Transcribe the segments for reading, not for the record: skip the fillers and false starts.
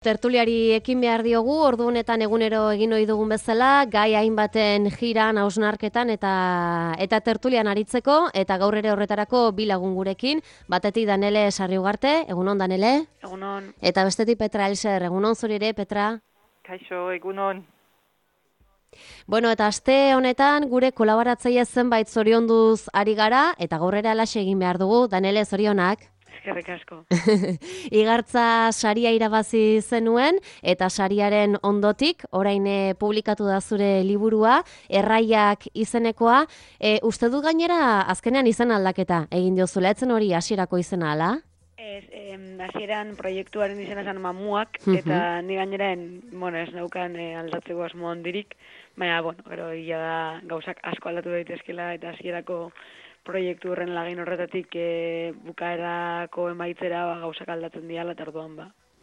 Tertuliari ekin behar diogu, ordu honetan egunero egin ohi dugun bezala, gai hainbaten jiran, hausnarketan eta tertulian aritzeko, eta gaur ere horretarako bi lagun gurekin, batetik Danele Sarriugarte, egunon Danele? Egunon. Eta bestetik Petra Elser, egunon zuri ere, Petra? Kaixo, egunon. Bueno, eta aste honetan gure kolaboratzaile zenbait zorionduz ari gara, eta gaur ere alaxe egin behar dugu, Danele, zorionak? Eskerrik asko. Igartza saria irabazi zenuen eta sariaren ondotik orain publikatu da zure liburua, Erraiak izenekoa. Uste du gainera azkenean izen aldaketa egin diozula, etzen hori hasierako izena ala? Ez, hasieran proiektuaren izena zen Mamuak, eta ni gainera ez naukan aldatzeko asmo handirik, baina, gero ia da gauzak asko aldatu daitezkela eta hasierako proiektu horren lagin horretatik bukaerako emaitzera gauzak aldatzen diala, eta orduan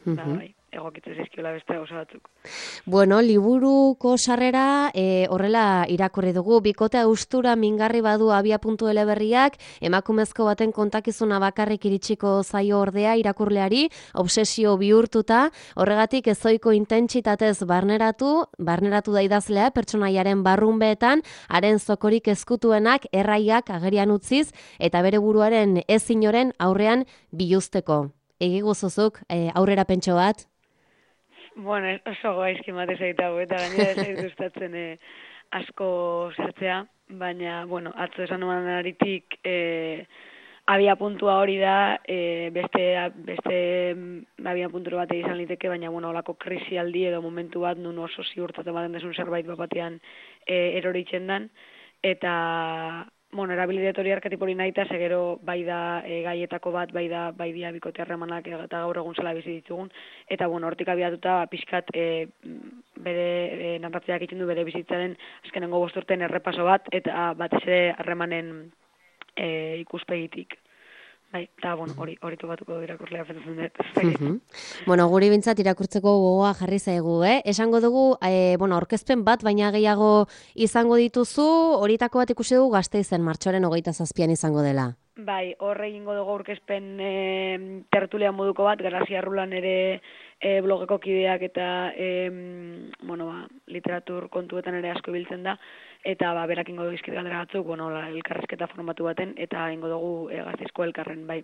bai, egokitzen zizkiola beste gauza batzuk. Bueno, liburuko sarrera horrela irakurri dugu. Bikote austura mingarri badu abia.ele eleberriak, emakumezko baten kontakizuna bakarrik iritsiko zaio ordea irakurleari, obsesio bihurtuta, horregatik ezoiko intentsitatez barneratu da idazlea pertsonaiaren barrunbeetan, haren zokorik ezkutuenak erraiak agerian utziz, eta bere buruaren ez inoren aurrean biluzteko. Egi guzuzuk, aurrera pentso bat? Oso gaizki matez egitago, eta gainera ez egin gustatzen asko zertzea, baina, atzo esan nuan aritik abia puntua hori da, beste abia punturo bat izan liteke, baina, olako krisialdi edo momentu bat nun oso ziurtatu baten desun zerbait batean eroritzen dan, eta erabilidet hori arketipori nahita, segero bai da gaietako bat, bai dia bikote harremanak eta gaur egun zela bizi ditugun, eta hortik abiatuta pixkat bere narratzeak egiten du bere bizitzaren azkenengo 5 urteen errepaso bat, eta batez ere harremanen ikuspegitik. Bai, eta hori topatuko irakurlea fentatzen dut. Guri bintzat irakurtzeko gogoa jarri zaigu, Esango dugu, aurkezpen bat, baina gehiago izango dituzu, horietako bat ikusi dugu Gasteizen martxoaren 27an izango dela. Bai, horre egingo dugu aurkezpen tertulia moduko bat, Grazia Rulan ere blogeko kideak eta literatur kontuetan ere asko ibiltzen da, eta berak ingo dugu izkit galdera batzuk, elkarrezketa formatu baten, eta ingo dugu Gasteizko elkarren, bai.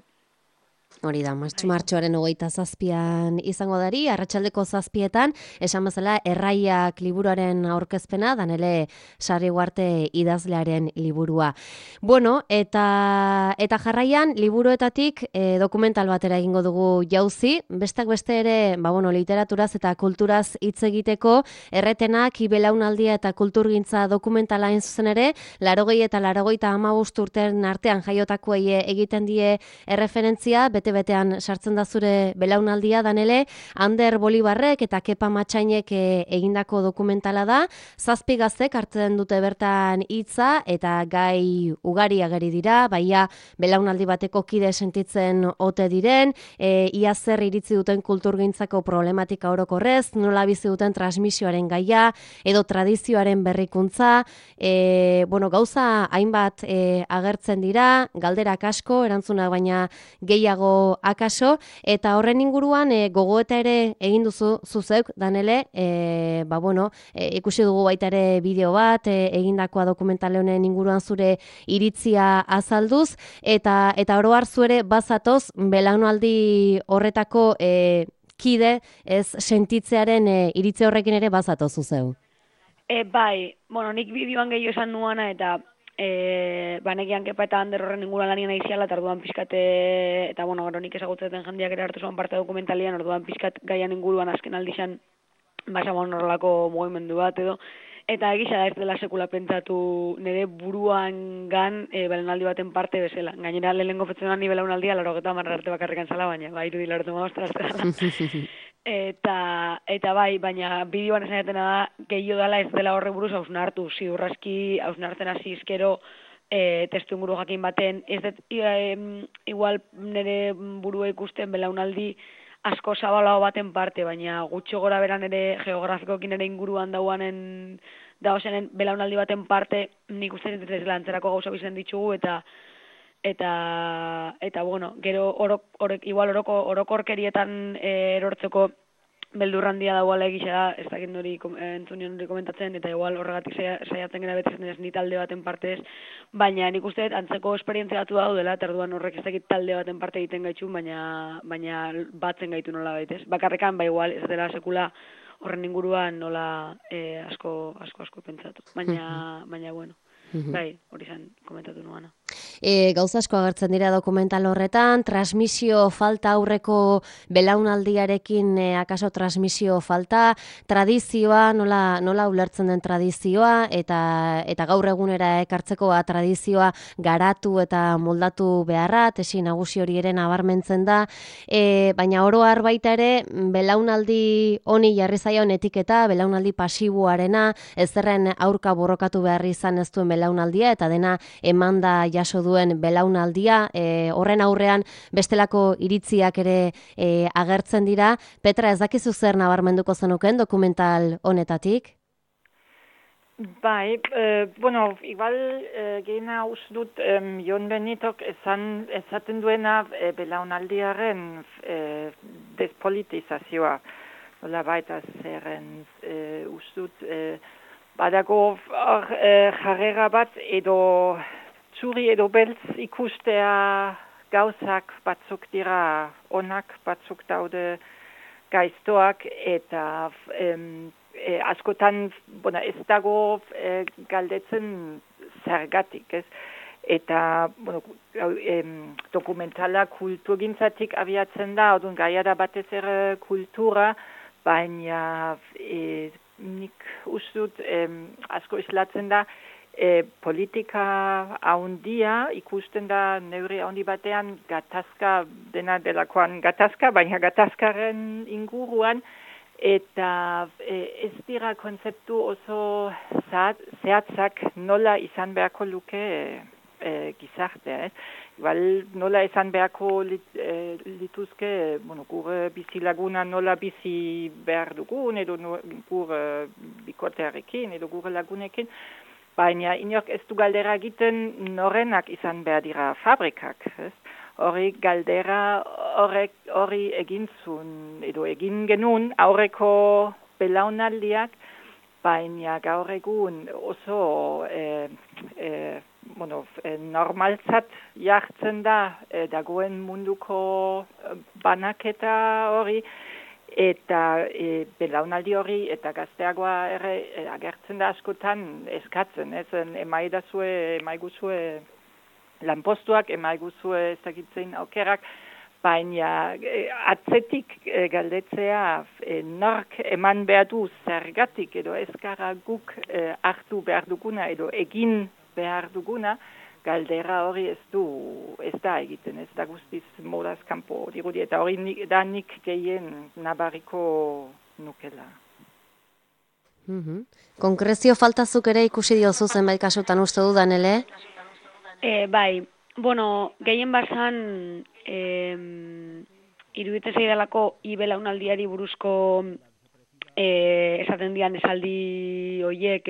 Hori da, martxoaren 27an izango dari, arratsaldeko 7etan, esan bezala Erraiak liburuaren aurkezpena, Danele Sarriugarte idazlearen liburua. Bueno, eta jarraian, liburuetatik dokumental batera egingo dugu jauzi, bestak beste ere, literaturaz eta kulturaz hitz egiteko, Erretenak, Belaunaldia eta kulturgintza dokumentala hain zuzen ere, 80 eta 85 urteen artean jaiotakoei egiten die erreferentzia, bete-betean sartzen da zure belaunaldia, Danele, Ander Bolibarrek eta Kepa Matxainek egindako dokumentala da, 7 gaztek hartzen dute bertan hitza eta gai ugari ageri dira, baia belaunaldi bateko kide sentitzen ote diren, ia zer iritzi duten kulturgintzako problematika orokorrez, nola bizi duten transmisioaren gaia, edo tradizioaren berrikuntza, gauza hainbat agertzen dira, galderak asko, erantzunak baina gehiago akaso, eta horren inguruan gogoeta ere egin duzu zuzeuk, Danele, ikusi dugu baita ere bideo bat, egindakoa dokumentale honen inguruan zure iritzia azalduz, eta oro har zu ere bazatoz belaunaldi horretako kide ez sentitzearen iritzi horrekin ere bazatoz zuzeu. Bai, nik bideoan gehiago esan nuana, eta banekian Kepa eta Ander horren inguruan lanien aiziala, eta orduan pixkat, eta gero nik ezagutzen jendiak ere hartu zuen parte dokumentalian, orduan pixkat gaian inguruan azken aldixan horrelako mugimendu bat edo, eta egisa da ez dela sekula pentsatu nire buruan belaunaldi baten parte bezala. Gainera lehenengo fetzen ni belaunaldia 80 arte bakarrikan zala, baina irudi 85 Eta bai, baina bideoan esan jatena da, gehiago dela ez dela horre buruz hausnartu, ziurraski hausnartzen hasi izkero testu inguru jakin baten, ez dut igual nire burua ikusten belaunaldi asko zabalago baten parte, baina gutxo gora beran ere geografikokin ere inguruan dauanen belaunaldi baten parte, nik uste ez dela antzerako gauza bizen ditugu, eta gero orokorkerietan erortzeko beldur handia dagoela egisa da, ez dakit nori entzunion hori komentatzen, eta igual horregatik saiatzen gara beti ez ni talde baten partez, baina nik uste dut antzeko esperientzia batu daudela, eta orduan horrek ez dakit talde baten parte egiten gaitxun, baina batzen gaitu nola baitez. Bakarrekan, igual, ez dela sekula horren inguruan nola asko pentsatu. Baina bueno, bai, hori zen komentatu nuana. Gauza asko agertzen dira dokumental horretan, transmisio falta aurreko belaunaldiarekin akaso transmisio falta, tradizioa, nola ulertzen den tradizioa, eta gaur egunera ekartzeko tradizioa garatu eta moldatu beharra, tesi nagusi hori ere nabarmentzen da, baina oro har baita ere, belaunaldi honi jarri zaion etiketa, belaunaldi pasiboarena, ezerren aurka borrokatu behar izan ez duen belaunaldia, eta dena emanda jaso duen belaunaldia, horren aurrean bestelako iritziak ere agertzen dira. Petra, ez dakizu zer nabarmenduko zenuken dokumental honetatik? Bai, bueno, igual gehena uste dut Jon Benitok esaten duena belaunaldiaren despolitizazioa. Nola baita zerren uste dut badago jarrera bat edo zuri edo beltz ikustea gauzak batzuk dira onak, batzuk daude gaiztoak eta askotan ez dago galdetzen zergatik, ez? Eta dokumentala kulturgintzatik abiatzen da, orduan gaia da batez ere kultura, baina nik uste dut asko islatzen da politika haundia ikusten da neurri haundi batean gatazka dena delakoan gatazka, baina gatazkaren inguruan eta ez dira konzeptu oso zehatzak nola izan beharko luke gizartea. Igual nola izan beharko lituzke gure bizilaguna nola bizi behar dugun edo gure bikotearekin edo gure lagunekin. Baina inork ez du galdera egiten norenak izan behar dira fabrikak. Hori galdera hori egin zuen edo egin genuen aurreko belaunaldiak, baina gaur egun oso normaltzat jartzen da dagoen munduko banaketa hori, eta belaunaldi hori eta gazteagoa ere agertzen da askotan eskatzen, emaiguzue lanpostuak, emaiguzue ezagitzen aukerak, baina atzetik galdetzea nork eman behar du zergatik edo ezkara guk hartu behar duguna edo egin behar duguna, galdera hori ez da egiten, ez da guztiz modaz kanpo dirudi, eta hori da nik gehien nabariko nukela. Konkrezio faltazuk ere ikusi diozu zenbait kasutan uste dudan, ele? Bai, gehien bazan iruditzen zaidalako belaunaldiari buruzko esaten dian esaldi hoiek,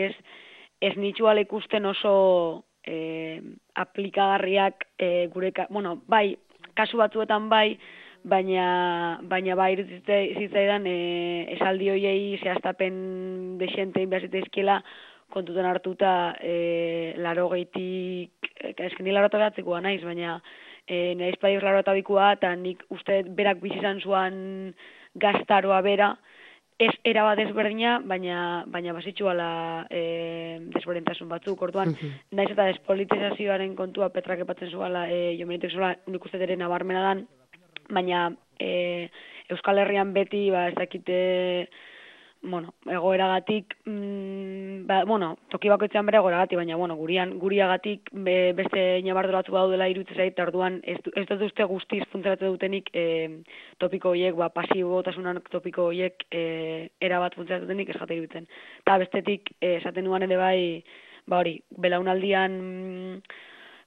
ez nitxuala ikusten oso aplikagarriak bai, kasu batzuetan bai, baina bai zitzaidan esaldi hoiei zehaztapen dexentein behar zitzaizkiela kontuten hartuta 80tik, esken ni 89koa naiz, baina naiz paioz 82koa, eta nik uste berak bizi izan zuan gaztaroa bera, ez erabat ezberdina, baina bazitxuala desberdintasun batzuk. Orduan, naiz eta despolitizazioaren kontua Petrak epatzen zuala, Jon Benitek zuela nik uste ere nabarmena dan, baina Euskal Herrian beti, ez dakite, egoeragatik, toki bakoitzean bere egoeragatik, baina, guriagatik beste inabardura batzu daudela iruditzen zait, orduan ez dut uste guztiz funtzionatu dutenik topiko horiek, pasibotasunan topiko horiek erabat funtzionatu dutenik ez jate iruditzen. Eta bestetik, esaten nuan ere bai, hori, belaunaldian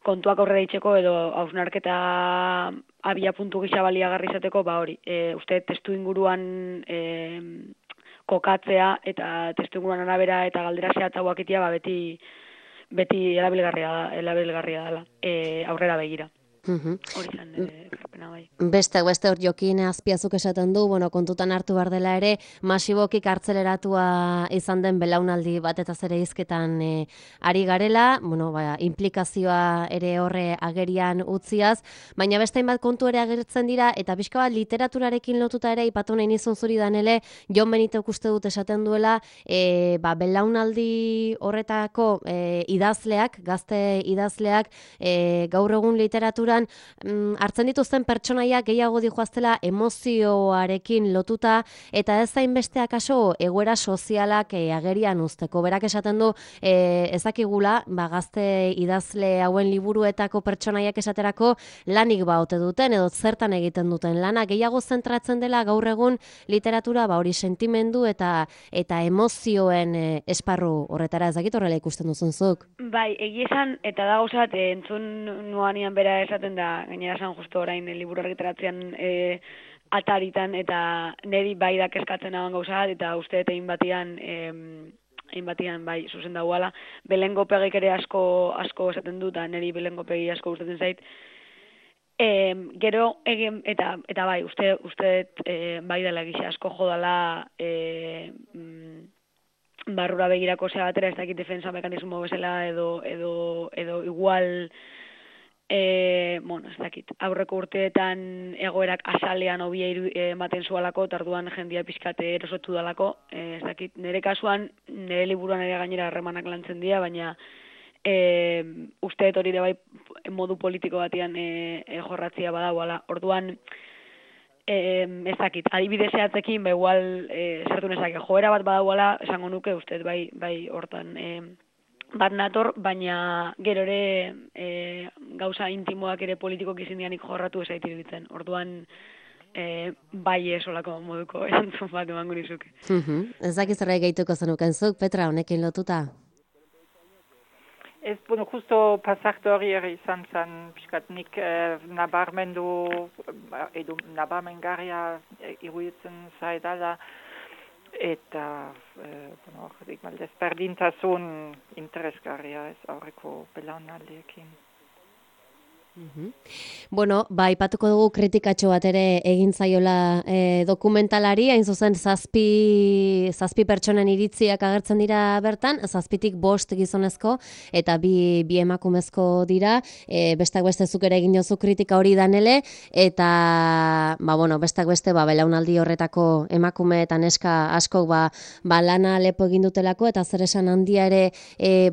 kontuak aurrera itxeko edo hausnarketa abia puntu gisa baliagarri izateko, hori, uste testu inguruan kokatzea eta testu inguruan arabera eta galdera zehatzagoak itea beti erabilgarria dela aurrera begira. Hori zen ekarpena bai. Beste hor Jokin Azpiazuk esaten du, kontutan hartu behar dela ere, masiboki kartzeleratua izan den belaunaldi bat eta zere hizketan ari garela, implikazioa ere horre agerian utziaz, baina beste hainbat kontu ere agertzen dira, eta pixka bat literaturarekin lotuta ere, ipatu nahi nizun zuri Danele, Jon Benitok uste dut esaten duela, belaunaldi horretako idazleak, gazte idazleak, gaur egun literaturan hartzen dituzten pertsonaiak gehiago dijoaztela emozioarekin lotuta eta ez zainbesteak aso egoera sozialak agerian uzteko. Berak esaten du ezakigula gazte idazle hauen liburuetako pertsonaiak esaterako lanik ote duten edo zertan egiten duten lana. Gehiago zentratzen dela gaur egun literatura hori sentimendu eta emozioen esparru horretara, ez dakit horrela ikusten duzunzuk. Bai, egia esan, eta da gauzat, entzun nuanian bera esaten da, gainera esan justo orain liburu argitaratzean ataritan, eta niri bai da kezkatzen haban gauzat, eta uste eta hainbatian bai, zuzen dagoala, Belengo Pegik ere asko esaten du, eta niri Belengo Pegi asko gustatzen zait. Gero egin, eta bai, uste bai dela gisa asko jodala barrura begirako zea batera, ez dakit defensa mekanismo bezala edo igual ez dakit, aurreko urteetan egoerak azalean hobia ematen zualako, tarduan jendia pizkate erosotu dalako, ez dakit, nire kasuan, nire liburuan ere gainera harremanak lantzen dira, baina usteet hori ere bai modu politiko batean jorratzia badagoala. Orduan, ez dakit, adibide zehatzekin, igual zertu nezake, joera bat badagoala, esango nuke usteet bai hortan bat nator, baina gero ere gauza intimoak ere politikok izindianik jorratu ez aitir ditzen. Orduan, bai esolako moduko erantzun bat emango nizuke. Ez dakiz zerra gehituko zenuken zuk, Petra, honekin lotuta? Ez, justo pasarte hori izan zen, piskat nik nabarmendu, edo nabarmengarria iruditzen zaidala, eta, desberdintasun interesgarria ez aurreko belaunaldiekin. Aipatuko dugu kritikatxo bat ere egin zaiola dokumentalari, hain zuzen zazpi pertsonen iritziak agertzen dira bertan, 7tik 5 gizonezko eta bi emakumezko dira, bestak beste zuk ere egin jozu kritika hori Danele, eta bestak beste belaunaldi horretako emakume eta neska askok lana lepo egin dutelako eta zer esan handia ere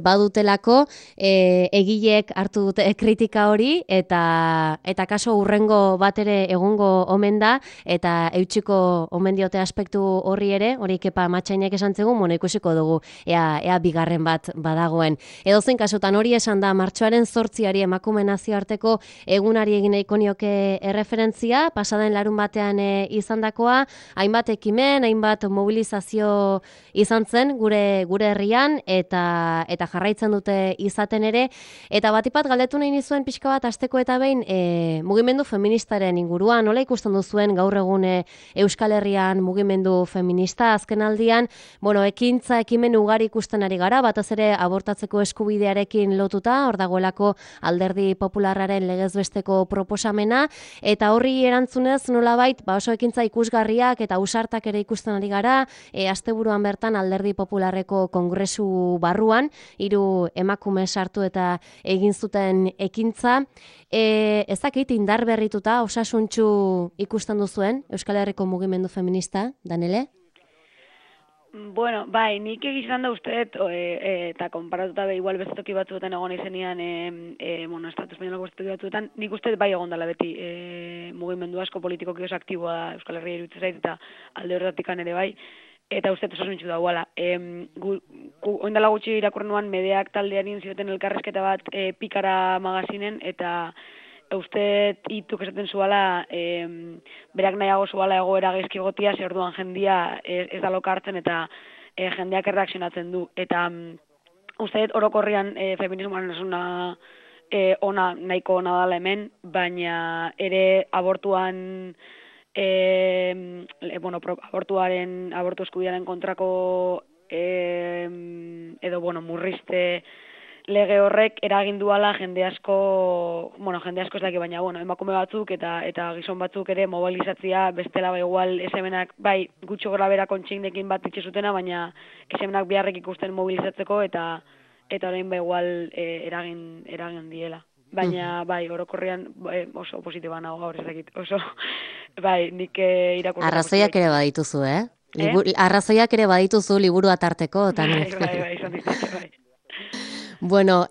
badutelako, egileek hartu dute kritika hori, eta kaso hurrengo bat ere egungo omen da, eta eutxiko omen diote aspektu horri ere, hori Kepa Matxainek esan zegoen, ikusiko dugu ea bigarren bat badagoen. Edozein kasutan hori esan da, martxoaren 8 emakume nazioarteko egunari egin nahiko nioke erreferentzia, pasaden larun batean izandakoa, hainbat ekimen, hainbat mobilizazio izan zen gure herrian, eta jarraitzen dute izaten ere, eta batipat galdetu nahi nizuen pixka bat hasteko eta behin mugimendu feministaren inguruan, nola ikusten duzuen gaur egun Euskal Herrian mugimendu feminista azkenaldian, ekintza ekimen ugari ikusten ari gara, batez ere abortatzeko eskubidearekin lotuta, hor dagoelako Alderdi Popularraren legezbesteko proposamena, eta horri erantzunez nolabait, oso ekintza ikusgarriak eta ausartak ere ikusten ari gara, asteburuan bertan Alderdi Popularreko kongresu barruan, 3 emakume sartu eta egin zuten ekintza. Ez dakit indar berrituta, osasuntsu ikusten duzuen Euskal Herriko mugimendu feminista, Danele? Bai, nik egizan da usteet, eta konparatuta igual beste toki batzuetan egon izenean, Estatu Espainolako beste toki batzuetan, nik usteet bai egon dela beti mugimendu asko politikoki oso aktiboa da Euskal Herria iruditzen zait, eta alde horretikan ere bai, eta usteet osasuntsu da guala. Oindala gutxi irakurri nuan Medeak taldearin zioten elkarrezketa bat Pikara magazinen, eta usteet hituk esaten zuala, berak nahiago zuala egoera gaizki egotia, ze orduan jendia ez da loka hartzen eta jendeak erreakzionatzen du. Eta usteet orokorrian feminismoaren esuna ona, nahiko ona dala hemen, baina ere abortuan abortu eskubidearen kontrako edo murrizte lege horrek eragin duala jende asko ez daki, baina emakume batzuk eta gizon batzuk ere mobilizatzea bestela igual esemenak bai gutxo gora bera kontsignekin bat itxe zutena, baina esemenak biharrek ikusten mobilizatzeko eta orain igual eragin diela. Baina bai, orokorrean oso positiboa nago gaur ezakit. Oso bai, nik irakurtzen. Arrazoiak ere badituzu, Arrazoiak ere badituzu liburua tarteko, eta Bai, izan dituzte, bai. Bueno,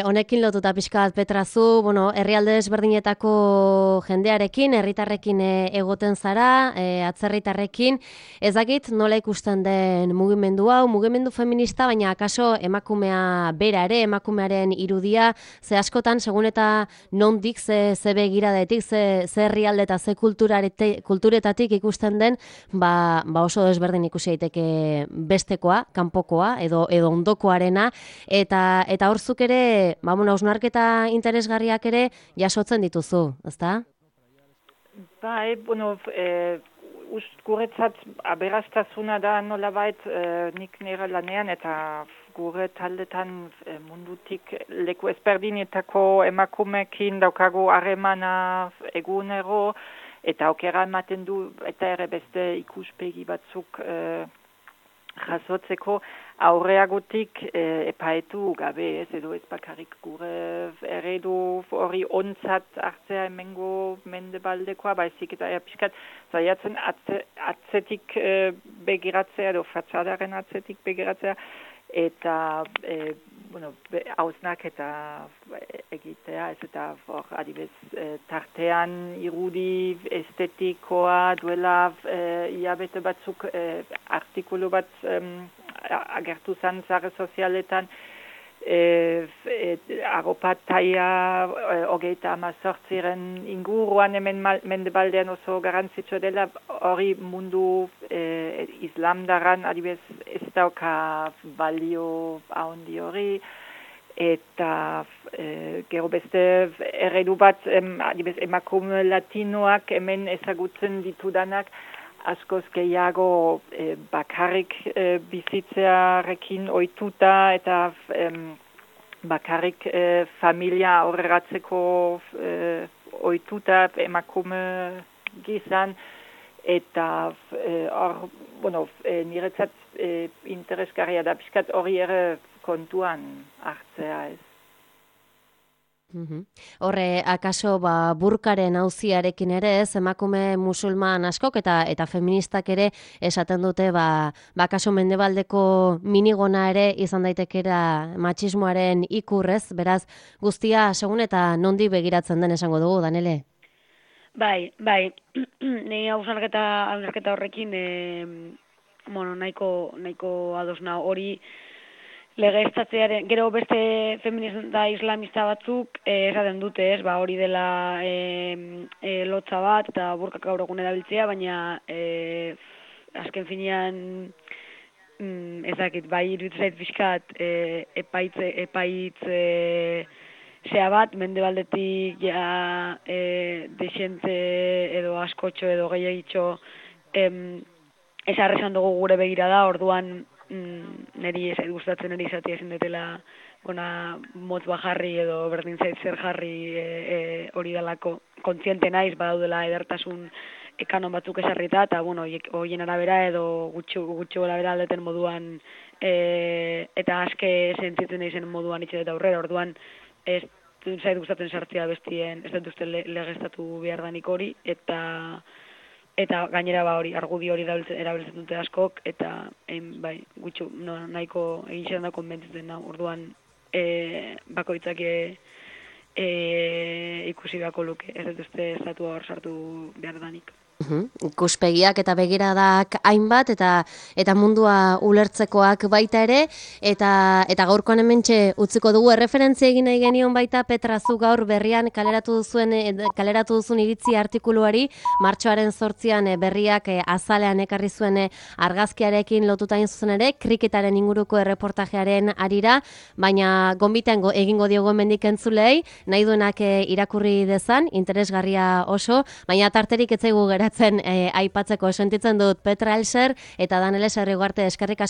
honekin lotuta pixka bat Petrazu, herrialde desberdinetako jendearekin, herritarrekin egoten zara, atzerritarrekin, ez dakit nola ikusten den mugimendu hau, mugimendu feminista, baina akaso emakumea bera ere, emakumearen irudia, ze askotan, segun eta nondik, ze begiradetik, ze herrialde eta ze kulturetatik ikusten den, ba oso desberdin ikusi daiteke bestekoa, kanpokoa, edo ondokoarena, eta horzuk ere, hausnarketa interesgarriak ere jasotzen dituzu, ezta? Bai, guretzat aberastasuna da nolabait nik nire lanean eta gure taldetan mundutik leku ezberdinetako emakumekin daukagu harremana egunero eta aukera ematen du eta ere beste ikuspegi batzuk jasotzeko aurreagotik epaetu gabe, edo ez bakarrik gure eredu hori ontzat hartzea hemengo mendebaldekoa, baizik eta pixkat zaiatzen atzetik begiratzea, edo fatxadaren atzetik begiratzea, eta hausnak eta egitea, ez eta adibez tartean irudi estetikoa duela hilabete batzuk artikulu bat agertu zen zare sozialetan arropa taia 38 inguruan hemen mendebaldean oso garrantzitsua dela, hori mundu islamdaran adibez ez dauka balio handi hori, eta gero beste eredu bat adibez emakume latinoak hemen ezagutzen ditudanak askoz gehiago bakarrik bizitzearekin ohituta eta bakarrik familia aurreratzeko ohituta emakume gizan, eta niretzat interesgarria da pixkat hori ere kontuan hartzea ez. Horre, akaso burkaren auziarekin ere ez, emakume musulman askok eta feministak ere esaten dute akaso mendebaldeko minigona ere izan daitekera matxismoaren ikurrez, beraz guztia segun eta nondi begiratzen den esango dugu, Danele? Bai, nire hausnarketa horrekin nahiko adosna hori legeztatzearen, gero beste feminista islamista batzuk esaten dute, ez, hori dela lotza bat eta burkak gaur egun erabiltzea, baina azken finean ezakit, iruditzen zait pixkat epaitz zea bat, mendebaldetik desente edo askotxo edo gehiagitxo esarrezan dugu gure begirada, orduan niri gustatzen niri izatea ezin detela motz bajarri edo berdin zait zer jarri hori dalako kontziente naiz badaudela edertasun kanon batzuk esarrita, eta horien arabera edo gutxo arabera aldeten moduan eta aske sentitzen naizen moduan itxe eta aurrera, orduan ez zait gustatzen sartzea bestien, ez dut uste legeztatu behar danik hori, eta gainera argudi hori erabiltzen dute askok, eta gutxo nahiko egin zelan da konbentzitzen da, orduan bakoitzak ikusi beharko luke, ez dut uste estatu hor sartu behar danik. Ikuspegiak eta begiradak hainbat eta mundua ulertzekoak baita ere, eta gaurkoan hementxe utziko dugu erreferentzia egin nahi genion baita Petrazu gaur berrian kaleratu duzun iritzi artikuluari, martxoaren 8 berriak azalean ekarri zuen argazkiarekin lotuta zuzen ere, kriketaren inguruko erreportajearen arira, baina gonbitan egingo diogo hemendik entzulei, nahi duenak irakurri dezan, interesgarria oso, baina tarterik ez zaigu geratzen aipatzeko, sentitzen dut Petra Elser eta Danele Sarrigarte, eskerrik asko